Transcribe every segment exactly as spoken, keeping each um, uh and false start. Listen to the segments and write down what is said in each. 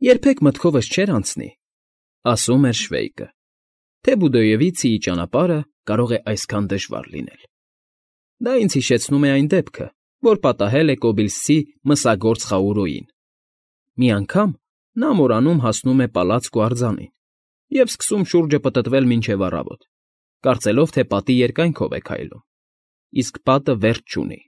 Երբեք մտքովս չէր անցնի, ասում էր Շվեյկը, թե Բուդոևիցիի ճանապարհը կարող է այսքան դժվար լինել։ Դա ինձ հիշեցնում է այն դեպքը, որ պատահել է Կոբիլսցի մսագործ Խաուրոյին։ Մի անգամ նա մորանում հասնում է պալածք ու արձանին և սկսում շուրջը պտտվել մինչև առավոտ, կարծելով, թե պատի երկայնքով է քայլում, իսկ պատը վերջ չունի։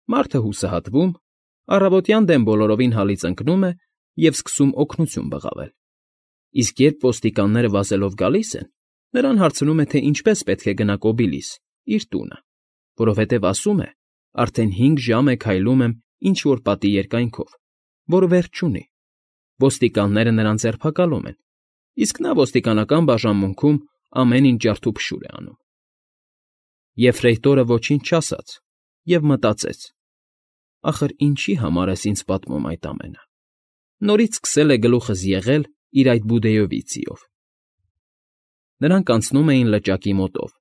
Մարդը հուսահատվում, առավոտյան դեմ բոլորովին հալից ընկնում է և սկսում օգնություն բղավել, իսկ երբ ոստիկանները վազելով գալիս են, նրան հարցնում է, թե ինչպես պետք է գնա Կոբիլիս, իր տունը, որովհետև ասում է, արդեն հինգ ժամ է քայլում եմ ինչ֊որ պատի երկայնքով, որ վերջ չունի։ Ոստիկանները նրան ձերբակալում են, իսկ նա ոստիկանական բաժանմունքում ամեն ինչ ջարդուփշուր է անում։ Եֆրեյտորը ոչինչ չասաց և մտածեց. ախր ինչի համար ես ինձ պատմում այդ ամենը։ Նորից սկսել է գլուխս եղել իր այդ Բուդեովիցիով։ Նրանք անցնում էին լճակի մոտով,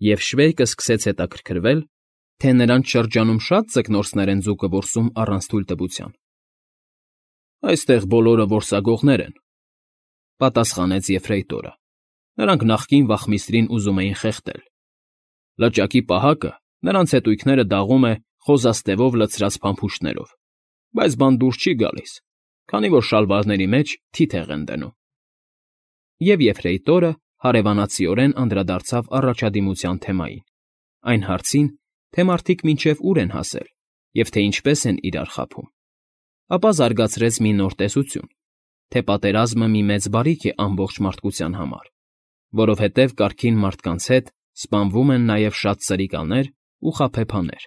և Շվեյկը սկսեց հետաքրքրվել, թե նրանց շրջանում շատ ձկնորսներ են ձուկը որսում առանց թույլտվության։ Այստեղ բոլորը որսագողներ են, պատասխանեց Եֆրեյտորը։ Նրանք նախկին վախմիստրին ուզում էին խեղդել։ Լճակի պահակը նրանց հետույքները դաղում է խոզաստևով լցրած փամփուշտներով, բայց բան դուրս չի գալիս, քանի որ շալվարների մեջ թիթեղ են դնում։ Եվ Եֆրեյտորը հարևանացիորեն անդրադարձավ առաջադիմության թեմային, այն հարցին, թե մարդիկ մինչև ուր են հասել և թե ինչպես են իրար խաբում։ Ապա զարգացրեց մի նոր տեսություն, թե պատերազմը մի մեծ բարիք է ամբողջ մարդկության համար, որովհետև կարգին մարդկանց հետ սպանվում են նաև շատ սրիկաներ ու խաբեբաներ։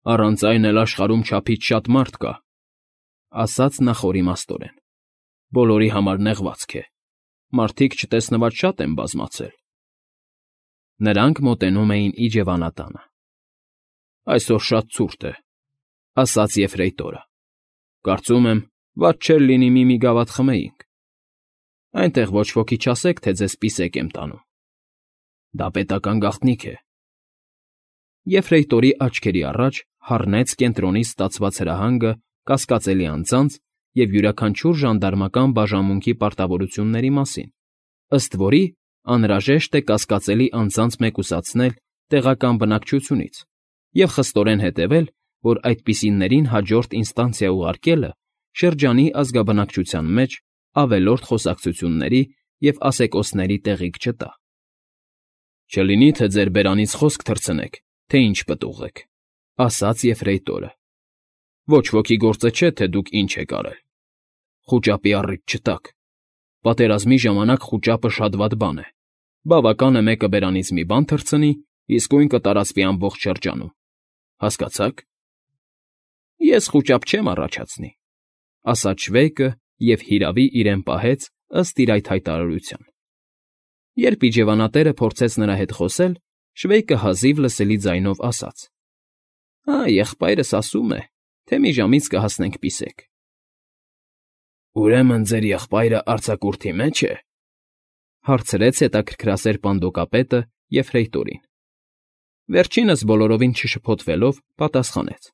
Առանց այն էլ աշխարհում չափից շատ մարդ կա, ասաց նա խորիմաստորեն։ Բոլորի համար նեղվածք է, մարդիկ չտեսնված շատ են բազմացել։ Նրանք մոտենում էին իջևանատանը։ Այսօր շատ ցուրտ է, ասաց Եֆրեյտորը։ Կարծում եմ, վատ չէր լինի մի-մի գավաթ խմեինք։ Այնտեղ ոչ ոքի չասեք, թե ձեզ պիսեք եմ տանում։ Դա պետական գաղտնիք է։ Եֆրեյտորի աչքերի առաջ հառնեց կենտրոնից ստացված հրահանգը կասկածելի անձանց և յուրաքանչյուր ժանդարմական բաժանմունքի պարտավորությունների մասին, ըստ որի անհրաժեշտ է կասկածելի անձանց մեկուսացնել տեղական բնակչությունից և խստորեն հետևել, որ այդպիսիներին հաջորդ ինստանցիա ուղարկելը շրջանի ազգաբնակչության մեջ ավելորդ խոսակցությունների և ասեկոսների տեղիք չտա։ Չլինի, թե ձեր բերանից խոսք թռցնեք, թե ինչ պտուղ եք, ասաց Եֆրեյտորը։ Ոչ ոքի գործը չէ, թե դուք ինչ եք արել։ Խուճապի առիթ չտաք։ Պատերազմի ժամանակ խուճապը շատ վատ բան է։ Բավական է մեկը բերանից մի բան թռցնի, իսկույն կտարածվի ամբողջ շրջանում։ Հասկացա՞ք։ Ես խուճապ չեմ առաջացնի, ասաց Շվեյկը և հիրավի իրեն պահեց ըստ իր այդ հայտարարության։ Երբ իջևանատերը փորձեց նրա հետ խոսել, Շվեյկը հազիվ լսելի ձայնով ասաց. Ա, եղբայրս ասում է, թե մի ժամից կհասնենք պիսեք։ Ուրեմն ձեր եղբայրը արձակուրդի մեջ է, հարցրեց հետաքրքրասեր պանդոկապետը Եֆրեյտորին։ Վերջինս բոլորովին չշփոթվելով պատասխանեց.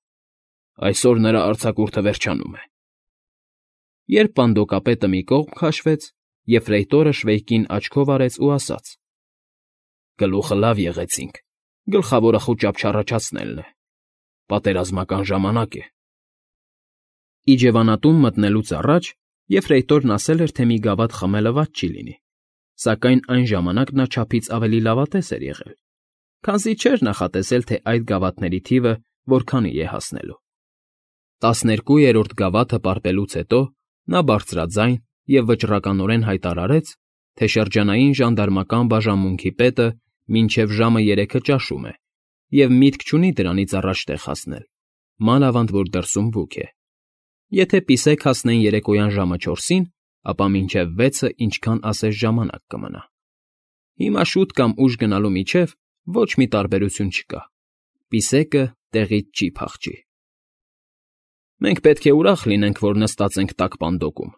Այսօր նրա արձակուրդը վերջանում է։ Երբ պանդոկապետը մի կողմ քաշվեց, Եֆրեյտորը Շվեյկին աչքով արեց ու ասաց. Գլուխը լավ եղեցինք, գլխավորը խուճապ չառաջացնելն է։ Պատերազմական ժամանակ է։ Իջևանատուն մտնելուց առաջ Եֆրեյտորն ասել էր, թե մի գավաթ խմելը վատ չի լինի, սակայն այն ժամանակ նա չափից ավելի լավատես էր եղել, քանզի չէր նախատեսել, թե այդ գավաթների թիվը որքանի է հասնելու։ Տասներկուերորդ գավաթը պարպելուց հետո նա բարձրաձայն և վճռականորեն հայտարարեց, թե շրջանային ժանդարմական բաժանմունքի պետը մինչև ժամը երեքը ճաշում է և միտք չունի դրանից առաջ տեղ հասնել, մանավանդ որ դրսում բուք է։ Եթե պիսեք հասնեն երեկոյան ժամը չորսին, ապա մինչև վեցը ինչքան ասես ժամանակ կմնա։ Հիմա շուտ կամ ուշ գնալու միջև ոչ մի տարբերություն չկա։ Պիսեկը տեղից չի փախչի։ Մենք պետք է ուրախ լինենք, որ նստած ենք տաք պանդոկում,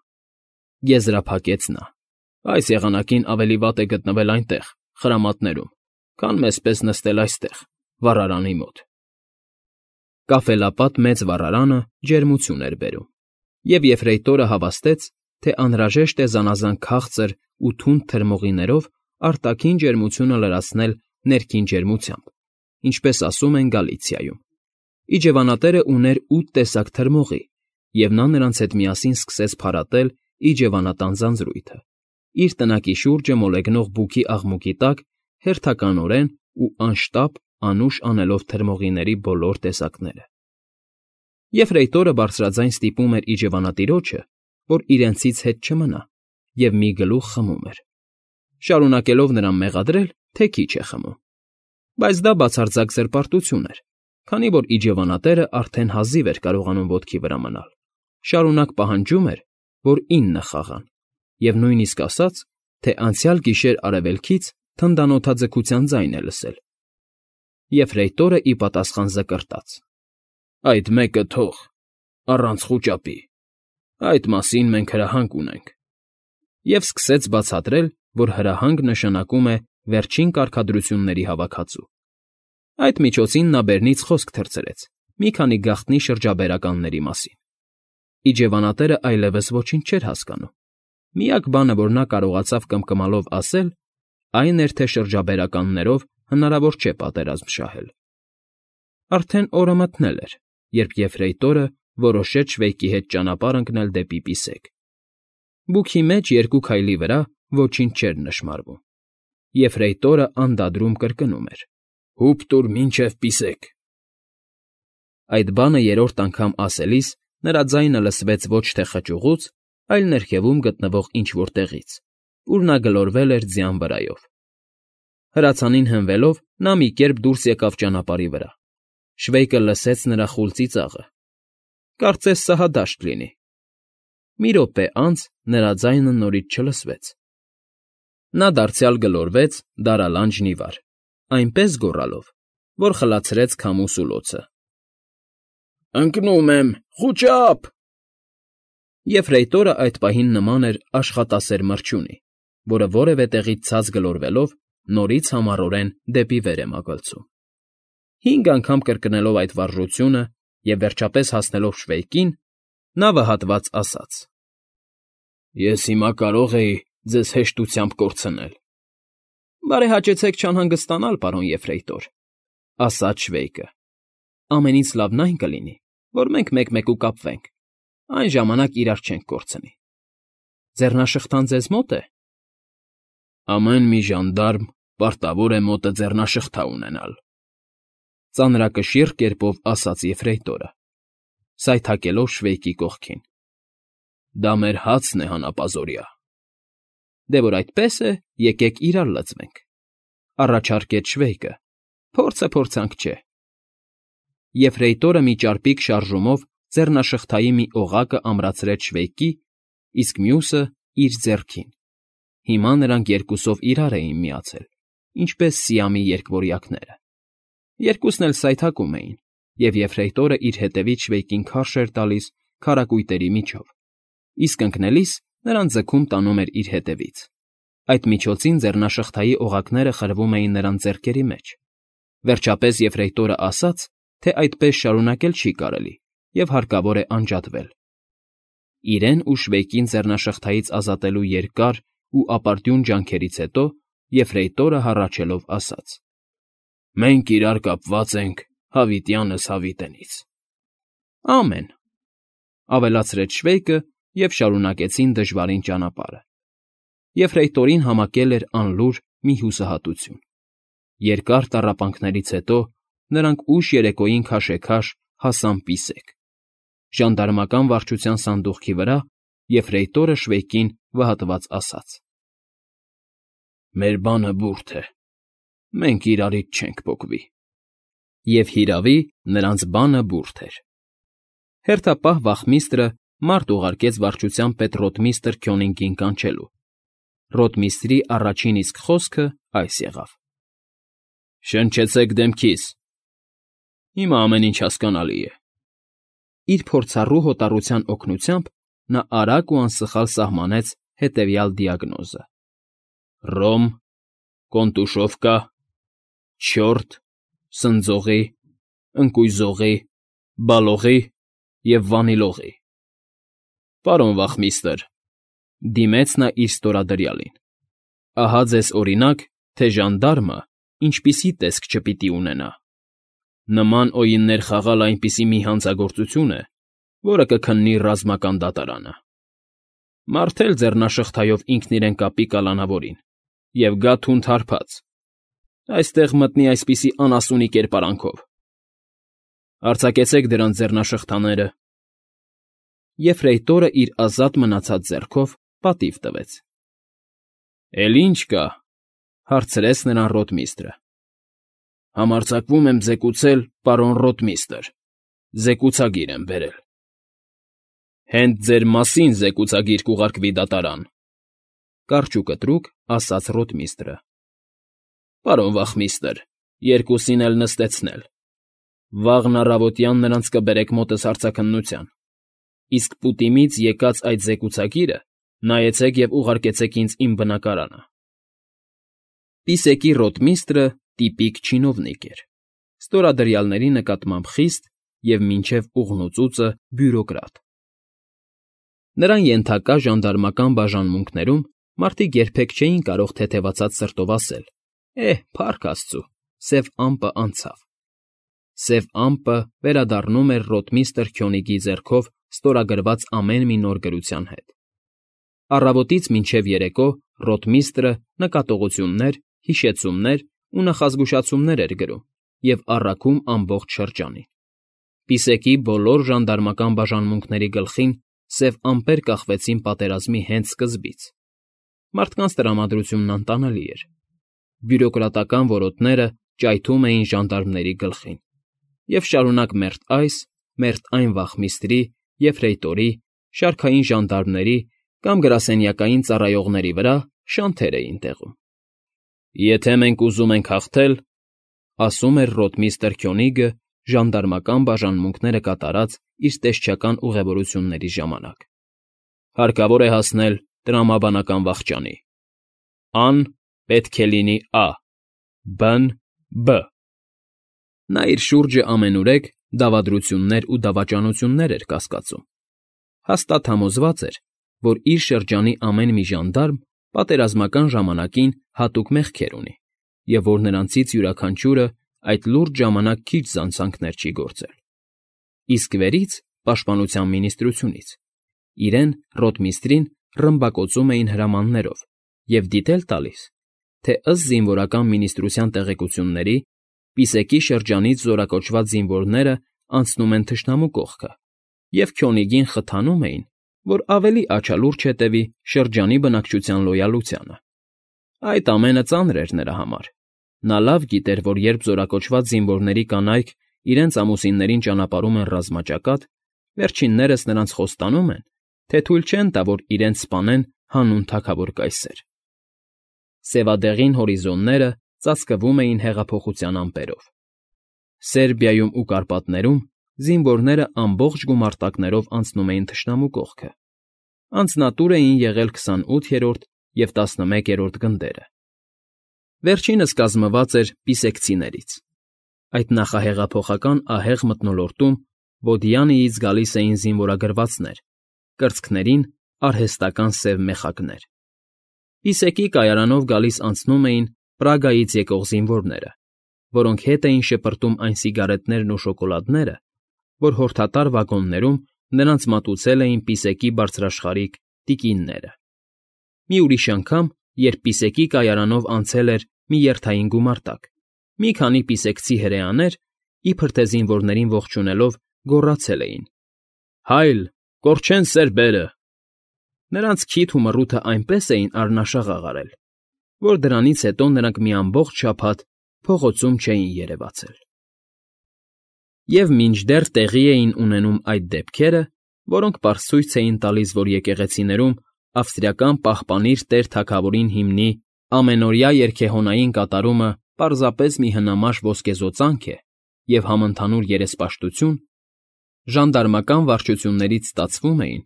եզրափակեց նա։ Այս եղանակին ավելի վատ է գտնվել այնտեղ, խրամատներում, քան մեզպես նստել այստեղ, վառարանի մոտ։ Կաֆելապատ մեծ վառարանը ջերմություն էր բերում, և Եֆրեյտորը հավաստեց, թե անհրաժեշտ է զանազան քաղցր ու թունդ թրմողիներով արտաքին ջերմությունը լրացնել ներքին ջերմությամբ, ինչպես ասում են Գալիցիայում։ Իջևանատերը ուներ ութ տեսակ թրմողի, և նա նրանց հետ միասին սկսեց փարատել իջևանատան ձանձրույթը, իր տնակի շուրջը մոլեգնող բուքի աղմուկի տակ հերթականորեն ու անշտապ անուշ անելով թրմողիների բոլոր տեսակները։ Եֆրեյտորը բարձրաձայն ստիպում էր իջևանատիրոջը, որ իրենցից հետ չմնա, և մի գլուխ խմում էր, շարունակելով նրան մեղադրել, թե քիչ է խմում։ Բայց դա բացարձակ զրպարտություն էր, քանի որ իջևանատերը արդեն հազիվ էր կարողանում ոտքի վրա մնալ, շարունակ պահանջում էր, որ ինը խաղան, և նույնիսկ ասաց, թե անցյալ գիշեր արևելքից թնդանոթաձգության ձայն է լսել։ Եֆրեյտորը ի պատասխան զկրտաց. «Այդ մեկը թող, առանց խուճապի, այդ մասին մենք հրահանգ ունենք», և սկսեց բացատրել, որ հրահանգ նշանակում է վերջին կարգադրությունների հավաքածու։ Այդ միջոցին նա բերնից խոսք թռցրեց մի քանի գաղտնի շրջաբերականների մասին։ Իջևանատերը այլևս ոչինչ չէր հասկանում։ Միակ բանը, որ նա կարողացավ կմկմալով ասել, այն էր, թե շրջաբերականներով հնարավոր չէ պատերազմ շահել։ Արդեն օրը մթնել էր, երբ Եֆրեյտորը որոշեց Շվեյկի հետ ճանապարհ ընկնել դեպի Պիսեկ։ Բուքի մեջ երկու քայլի վրա ոչինչ չէր նշմարվում։ Եֆրեյտորը անդադրում կրկնում էր. «Հուպ տուր մինչև Պիսեկ»։ Այդ բանը երրորդ անգամ ասելիս նրա ձայնը լսվեց ոչ թե խճուղուց, այլ ներքևում գտնվող ինչ֊որ տեղից, ուր նա գլորվել էր ձյան վրայով։ Հրացանին հենվելով՝ նա մի կերպ դուրս եկավ ճանապարհի վրա։ Շվեյկը լսեց նրա խուլ ծիծաղը։ Կարծես սա հադաշտ լինի։ Մի րոպե անց նրա ձայնը նորից չլսվեց։ Նա դարձյալ գլորվեց դարալանջն ի վար, այնպես գոռալով, որ խլացրեց քամու սուլոցը։ «Ընկնում եմ, խուճա՜պ»։ Եֆրեյտորը այդ պահին նման էր աշխատասեր մրջյունի, որը որևէ տեղից ցած գլորվելով նորից համառորեն դեպի վեր է մագլցում։ Հինգ անգամ կրկնելով այդ վարժությունը և վերջապես հասնելով Շվեյկին, նա վհատված ասաց. «Ես հիմա կարող էի ձեզ հեշտությամբ կորցնել»։ «Բարեհաճեցեք չանհանգստանալ, պարոն Եֆրեյտոր», ֊ ասաց Շվեյկը։ «Ամենից լավն այն կլինի, որ մենք մեկ֊մեկու կապվենք, այն ժամանակ իրար չենք կորցնի։ Ձեռնաշղթան ձեզ մո՞տ է»։ «Ամեն մի ժանդարմ պարտավոր է մոտը ձեռնաշղթա ունենալ», ֊ ծանրակշիռ կերպով ասաց Եֆրեյտորը, սայթաքելով Շվեյկի կողքին։ «Դա մեր հացն է հանապազօրյա»։ «Դե որ այդպես է, եկեք իրար լծվենք», ֊ առաջարկեց Շվեյկը, փորձը փորձանք չէ։ Եֆրեյտորը մի ճարպիկ շարժումով ձեռնաշղթայի մի օղակը ամրացրեց Շվեյկի, իսկ մյուսը՝ իր ձեռքին։ Հիմա նրանք երկուսով իրար էին միացել, ինչպես Սիամի երկվորյակները։ Երկուսն էլ սայթաքում էին, և Եֆրեյտորը իր հետևից Շվեյկին քարշ էր տալիս քարակույտերի միջով, իսկ ընկնելիս նրան ձգում տանում էր իր հետևից։ Այդ միջոցին ձեռնաշղթայի օղակները խրվում էին նրան ձեռքերի մեջ։ Վերջապես Եֆրեյտորը ասաց, թե այդպես շարունակել չի կարելի և հարկավոր է անջատվել։ Իրեն ու Շվեյկին ձեռնաշղթայից ազատելու երկար ու ապարդյուն ջանքերից հետո Եֆրեյտորը հառաչելով ասաց. «Մենք իրար կապված ենք հավիտյանս հավիտենից»։ «Ամեն», ֊ ավելացրեց Շվեյկը և շարունակեցին դժվարին ճանապարհը։ Եֆրեյտորին համակել էր անլուր մի հուսահատություն։ Երկար տառապանքներից հետո նրանք ուշ երեկոյին քաշեքաշ հասան Պիսեկ։ Ժանդարմական վարչության սանդուղքի վրա Եֆրեյտորը Շվեյկին վհատված ասաց. «Մեր բանը բուրդ է, մենք իրարից չենք պոկվի»։ Եվ հիրավի, նրանց բանը բուրդ էր։ Հերթապահ վախմիստրը մարդ ուղարկեց վարչության պետ ռոտմիստր Քյոնինգին կանչելու։ Ռոտմիստրի առաջին իսկ խոսքը այս եղավ. «Շնչեցեք դեմքիս»։ Հիմա ամեն ինչ հասկանալի է։ Իր փորձառու հոտառության օգնությամբ նա արագ ու անսխալ սահմանեց հետևյալ դիագնոզը. Ռոմ, Կոնտուշովկա, չորտ, սնձողի, ընկույզողի, բալողի և վանիլողի։ Պարոն վախմիստր, Դիմեց նա իր ստորադրյալին։ Ահա ձեզ օրինակ, թե ժանդարմը ինչպիսի տեսք չպիտի ունենա. նման օիններ խաղալ այնպիսի մի հանցագործություն է, որը կքննի ռազմական դատարանը։ Մարդ էլ ձեռնաշղթայով ինքն իրեն կապի կալանավորին և գա թունդ հարբած, այստեղ մտնի այսպիսի անասունի կերպարանքով։ Արձակեցեք դրանց ձեռնաշղթաները։ Եֆրեյտորը իր ազատ մնացած ձեռքով պատիվ տվեց։ Էլ ի՞նչ կա,֊ հարցրեց նրան ռոտմիստրը։ Համարձակվում եմ ձեկուցել, պարոն ռոտմիստր, զեկուցագիր եմ բերել։ Հենց ձեր մասին զեկուցագիր կուղարկվի դատարան,֊ կարճ ու կտրուկ ասաց ռոտմիստրը։ Պարոն վախմիստր, երկուսին էլ նստեցնել։ Վաղն առավոտյան նրանց կբերեք մոտս հարցաքննության, իսկ Պուտիմից եկած այդ զեկուցագիրը նայեցեք և ուղարկեցեք ինձ իմ բնակարանը։ Պիսեկի ռոտմիստրը տիպիկ չինովնիկ էր, ստորադրյալների նկատմամբ խիստ և մինչև ուղղնուծուծը բյուրոկրատ։ Նրան ենթակա ժանդարմական բաժանմունքներում մարդիկ երբեք չէին կարող թեթևացած սրտով ասել. «Էհ, փառք աստծու, սև ամպը անցավ»։ Սև ամպը վերադառնում էր ռոտմիստր Քյոնիգի ձեռքով ստորագրված ամեն մի նոր գրության հետ։ Առավոտից մինչև երեկո ռոտմիստրը նկատողություններ, հիշեցումներ ու նախազգուշացումներ էր գրում և առաքում ամբողջ շրջանին։ Պիսեկի բոլոր ժանդարմական բաժանմունքների գլխին սև ամպեր կախվեցին պատերազմի հենց սկզբից։ Մարդկանց տրամադրությունն անտանելի էր։ Բյուրոկրատական որոտները ճայթում էին ժանդարմների գլխին, և շարունակ մերթ այս, մերթ այն վախմիստրի, եֆրեյտորի, շարքային ժանդարմների կամ գրասենյակային ծառայողների վրա շանթեր էին տեղում։ Եթե մենք ուզում ենք հաղթել,֊ ասում էր ռոտմիստր Քյոնիգը ժանդարմական բաժանմունքները կատարած իր տեսչական ուղևորությունների ժամանակ,֊ հարկավոր է հասնել տրամաբանական վախճանի. ան պետք է լինի ա, բ֊ն՝ բ։ Նա իր շուրջը ամենուրեք դավադրություններ ու դավաճանություններ էր կասկածում։ Հաստատ համոզված էր, որ իր շրջանի ամեն մի ժանդարմ պատերազմական ժամանակին հատուկ մեղքեր ունի և որ նրանցից յուրաքանչյուրը այդ լուրջ ժամանակ քիչ զանցանքներ չի գործել։ Իսկ վերից, պաշտպանության մինիստրությունից, իրեն, ռոտմիստրին, ռմբակոծում էին հրամաններով և դիտել տալիս, թե ըստ զինվորական մինիստրության տեղեկությունների Պիսեկի շրջանից զորակոչված զինվորները անցնում են թշնամու կողքը և Քյոնիգին խթանում էին, որ ավելի աչալուրջ հետևի շրջանի բնակչության լոյալությանը։ Այդ ամենը ծանր էր նրա համար։ Նա լավ գիտեր, որ երբ զորակոչված զինվորների կանայք իրենց ամուսիններին ճանապարհում են ռազմաճակատ, վերջիններս նրանց խոստանում են, թե թույլ չեն տա, որ իրենց սպանեն հանուն թագավոր կայսեր։ Սևադեղին հորիզոնները ծածկվում էին հեղափոխության ամպերով։ Սերբիայում ու Կարպատներում զինվորները ամբողջ գումարտակներով անցնում էին թշնամու կողքը։ Անձնատուր էին եղել քսանութերորդ և տասնմեկերորդ գնդերը։ Վերջինս կազմված էր պիսեկցիներից։ Այդ նախահեղափոխական ահեղ մթնոլորտում Բոդիանիից գալիս էին զինվորագրվածներ, կրծքներին արհեստական սև մեխակներ։ Պիսեկի կայարանով գալիս անցնում էին Պրագայից եկող զինվորները, որոնք հետ էին շպրտում այն սիգարետներն ու շոկոլադները, որ հորդատար վագոններում նրանց մատուցել էին Պիսեկի բարձրաշխարհիկ տիկինները։ Մի ուրիշ անգամ, երբ Պիսեկի կայարանով անցել էր մի երթային գումարտակ, մի քանի պիսեկցի հրեաներ, իբր թե զինվորներին ողջունելով, գոռացել էին. «Հայլ, կորչեն սերբերը»։ Նրանց քիթ ու մռութը այնպես էին արնաշաղաղ արել, որ դրանից հետո նրանք մի ամբողջ շաբաթ փողոցում չէին երևացել։ Եվ մինչդեռ տեղի էին ունենում այդ դեպքերը, որոնք պարզ ցույց էին տալիս, որ եկեղեցիներում ավստրիական պահպանիր տեր թագավորին հիմնի ամենօրյա երգեհոնային կատարումը պարզապես մի հնամաշ ոսկեզօծանք է և համընդհանուր երեսպաշտություն, ժանդարմական վարչություններից ստացվում էին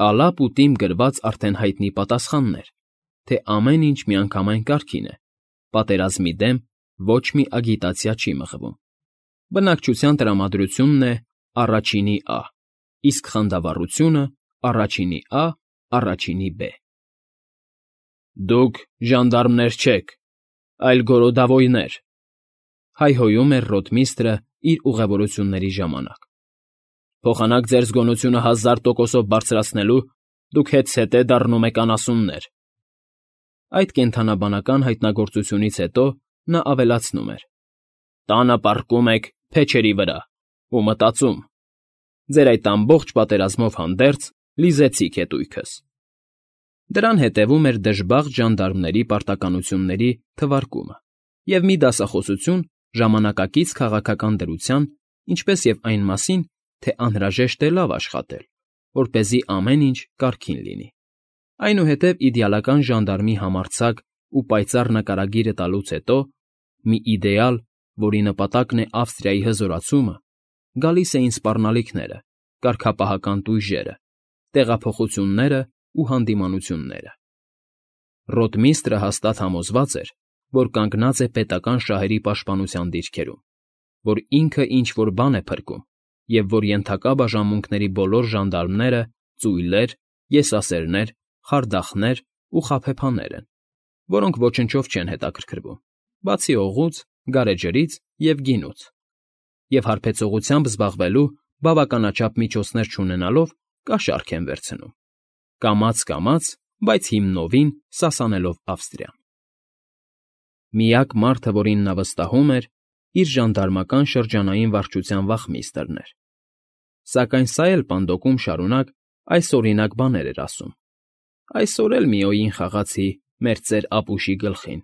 ալապ ու տիմ գրված արդեն հայտնի պատասխաններ, թե ամեն ինչ միանգամայն կարգին է, պատերազմի դեմ ոչ մի ագիտացիա չի մղվում։ Բնակչության տրամադրությունն է առաջինի ա, իսկ խանդավառությունը՝ առաջինի ա, առաջինի բ։ Դուք ժանդարմներ չեք, այլ գորոդավոյներ,֊ հայհոյում էր ռոթմիստրը իր ուղևորությունների ժամանակ։ Փոխանակ ձեր զգոնությունը հազար տոկոսով բարձրացնելու դուք հետզհետե դառնում եք անասուններ։ Այդ կենդանաբանական հայտնագործությունից հետո նա ավելացնում էր. Տանը պառկում եք փեչերի վրա ու մտածում. ձեր այդ ամբողջ պատերազմով հանդերձ լիզեցիք հետույքս։ Դրան հետևում էր դժբախտ ժանդարմների պարտականությունների թվարկումը և մի դասախոսություն ժամանակակից քաղաքական դրության, ինչպես և այն մասին, թե անհրաժեշտ է լավ աշխատել, որպեսզի ամեն ինչ կարգին լինի։ Այնուհետև իդեալական ժանդարմի համարձակ ու պայծառ նկարագիրը տալուց հետո, մի իդեալ, որի նպատակն է Ավստրիայի հզորացումը, գալիս էին սպառնալիքները, կարգապահական տույժերը, տեղափոխություններն ու հանդիմանությունները։ Ռոթմիստրը հաստատ համոզված էր, որ կանգնած է պետական շահերի պաշտպանության դիրքերում, որ ինքը ինչ֊որ բան է փրկում և որ ենթակա բաժանմունքների բոլոր ժանդարմները ծույլեր, եսասերներ, խարդախներ ու խաբեբաներ են, որոնք ոչնչով չեն հետաքրքրվում, բացի օղուց, գարեջրից և գինուց, և հարբեցողությամբ զբաղվելու բավականաչափ միջոցներ չունենալով կաշառք են վերցնում, կամաց֊կամաց, բայց հիմնովին սասանելով Ավստրիան։ Միակ մարդը, որին նա վստահում էր, իր ժանդարմական շրջանային վարչության վախմիստրն էր։ Սակայն սա էլ պանդոկում շարունակ այսօրինակ բաներ էր ասում. «Այսօր էլ մի օյին խաղացի մեր ծեր Ապուշի գլխին,